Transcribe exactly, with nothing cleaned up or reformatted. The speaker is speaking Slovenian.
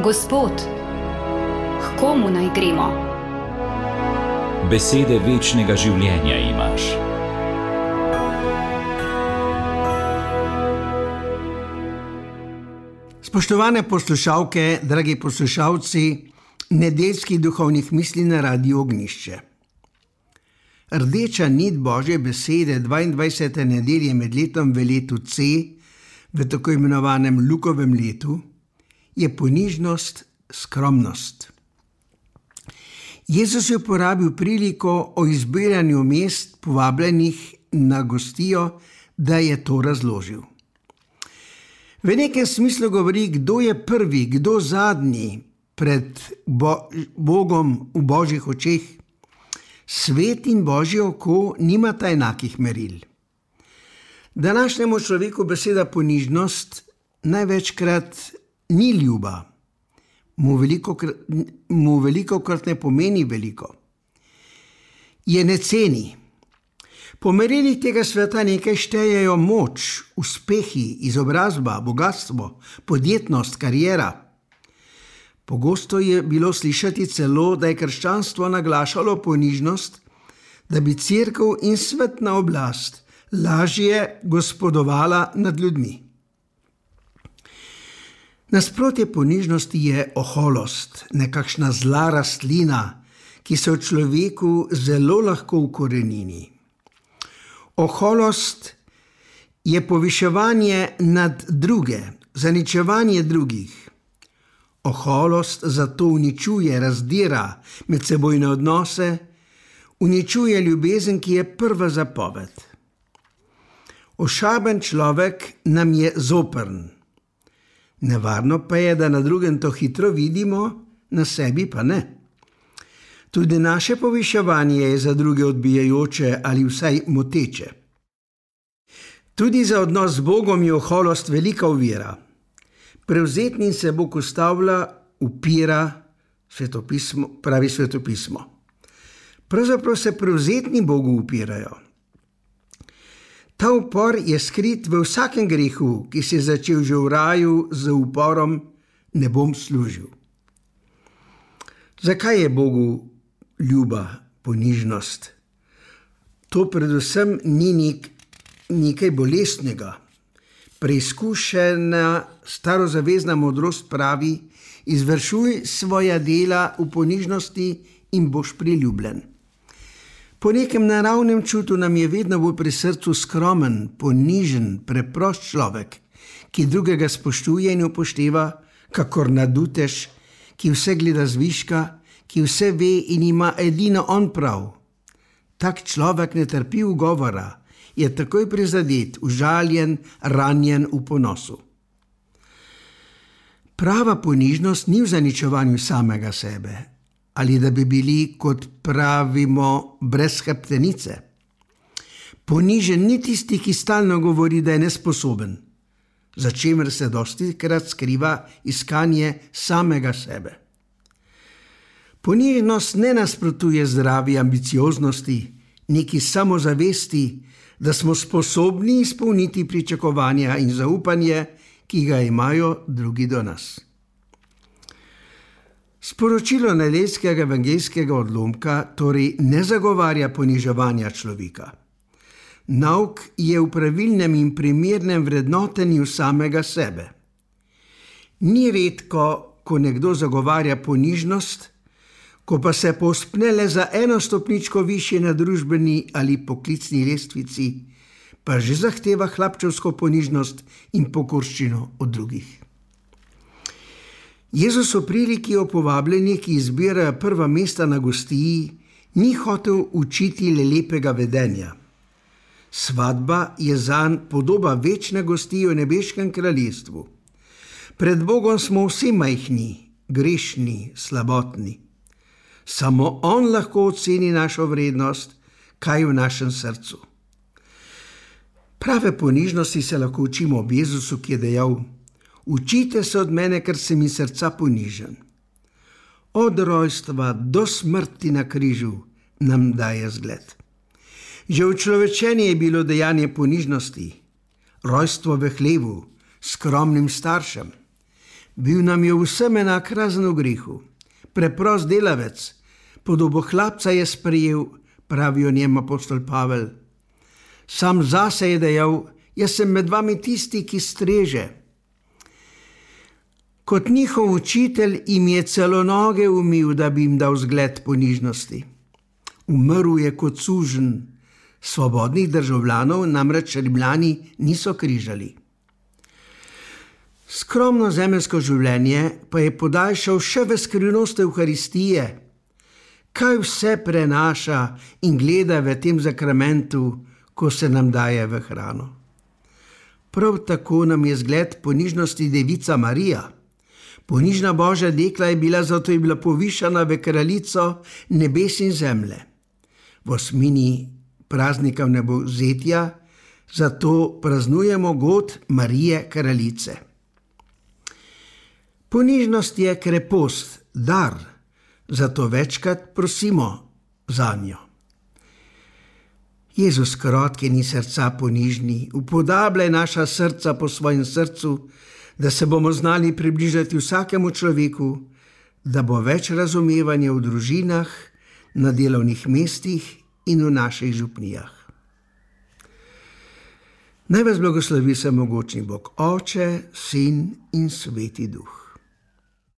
Gospod, k komu naj gremo? Besede večnega življenja imaš. Spoštovane poslušalke, dragi poslušalci nedeljskih duhovnih misli na Radiu Ognjišče. Rdeča nit Božje besede dvaindvajsete nedelje med letom v letu C, v tako imenovanem Lukovem letu, je ponižnost, skromnost. Jezus je uporabil priliko o izbiranju mest povabljenih na gostijo, da je to razložil. V nekem smislu govori, kdo je prvi, kdo zadnji pred Bo- Bogom v Božjih očeh. Svet in Božje oko nimata enakih meril. Današnjemu človeku beseda ponižnost največkrat ni ljuba. Mu velikokrat, mu velikokrat ne pomeni veliko. Je ne ceni. Po merilih tega sveta nekaj štejejo moč, uspehi, izobrazba, bogatstvo, podjetnost, kariera. Pogosto je bilo slišati celo, da je krščanstvo naglašalo ponižnost, da bi cerkev in svetna oblast lažje gospodovala nad ljudmi. Nasprotje ponižnosti je oholost, nekakšna zla rastlina, ki se v človeku zelo lahko ukorenini. Oholost je poviševanje nad druge, zaničevanje drugih. Oholost zato uničuje, razdira medsebojne odnose, uničuje ljubezen, ki je prva zapoved. Ošaben človek nam je zoprn. Nevarno pa je, da na drugem to hitro vidimo, na sebi pa ne. Tudi naše poviševanje je za druge odbijajoče ali vsaj moteče. Tudi za odnos z Bogom je oholost velika ovira. Prevzetnim se Bog ustavlja, upira, svetopismo, pravi svetopismo. Pravzaprav se prevzetni Bogu upirajo. Ta upor je skrit v vsakem grehu, ki se je začel že v raju z uporom ne bom služil. Zakaj je Bogu ljuba ponižnost? To predvsem ni nek, nekaj bolestnega. Preizkušena starozavezna modrost pravi: izvršuj svoja dela v ponižnosti in boš priljubljen. Po nekem naravnem čutu nam je vedno bolj pri srcu skromen, ponižen, preprost človek, ki drugega spoštuje in upošteva, kakor nadutež, ki vse gleda zviška, ki vse ve in ima edino on prav. Tak človek ne trpi ugovora, je takoj prizadet, užaljen, ranjen v ponosu. Prava ponižnost ni v zaničevanju samega sebe, ali da bi bili, kot pravimo, brez hrbtenice. Ponižen ni tisti, ki stalno govori, da je nesposoben, za čemer se dostikrat skriva iskanje samega sebe. Ponižnost ne nasprotuje zdravi ambicioznosti, neki samozavesti, da smo sposobni izpolniti pričakovanja in zaupanje, ki ga imajo drugi do nas. Sporočilo nedeljskega evangeljskega odlomka torej ne zagovarja poniževanja človeka. Nauk je v pravilnem in primernem vrednotenju samega sebe. Ni redko, ko nekdo zagovarja ponižnost, ko pa se povzpne le za eno stopničko višje na družbeni ali poklicni lestvici, pa že zahteva hlapčevsko ponižnost in pokorščino od drugih. Jezus v priliki o povabljenih, ki izbirajo prva mesta na gostiji, ni hotel učiti le lepega vedenja. Svadba je zanj podoba večne gostije v nebeškem kraljestvu. Pred Bogom smo vsi majhni, grešni, slabotni. Samo on lahko oceni našo vrednost, kaj je v našem srcu. Prave ponižnosti se lahko učimo ob Jezusu, ki je dejal: učite se od mene, ker sem iz srca ponižen. Od rojstva do smrti na križu nam daje zgled. Že učlovečenje je bilo dejanje ponižnosti, rojstvo v hlevu, skromnim staršem. Bil nam je vsem enak razen v grehu. Preprost delavec, podobo hlapca je sprejel, pravi o njem apostol Pavel. Sam zase je dejal, jaz sem med vami tisti, ki streže. Kot njihov učitelj jim je celo noge umil, da bi jim dal zgled ponižnosti. Umrl je kot suženj, svobodnih državljanov namreč Rimljani niso križali. Skromno zemeljsko življenje pa je podaljšal še v skrivnost Evharistije. Kaj vse prenaša in gleda v tem zakramentu, ko se nam daje v hrano. Prav tako nam je zgled ponižnosti devica Marija. Ponižna Božja dekla je bila, zato je bila povišana v kraljico nebes in zemlje. V osmini praznika vnebovzetja zato praznujemo god Marije kraljice. Ponižnost je krepost, dar, zato večkrat prosimo zanjo. Jezus, krotkini srca ponižni, upodabljaj naša srca po svojem srcu, da se bomo znali približati vsakemu človeku, da bo več razumevanja v družinah, na delovnih mestih in v naših župnijah. Naj vas blagoslovi vsemogočni Bog, Oče, Sin in Sveti Duh.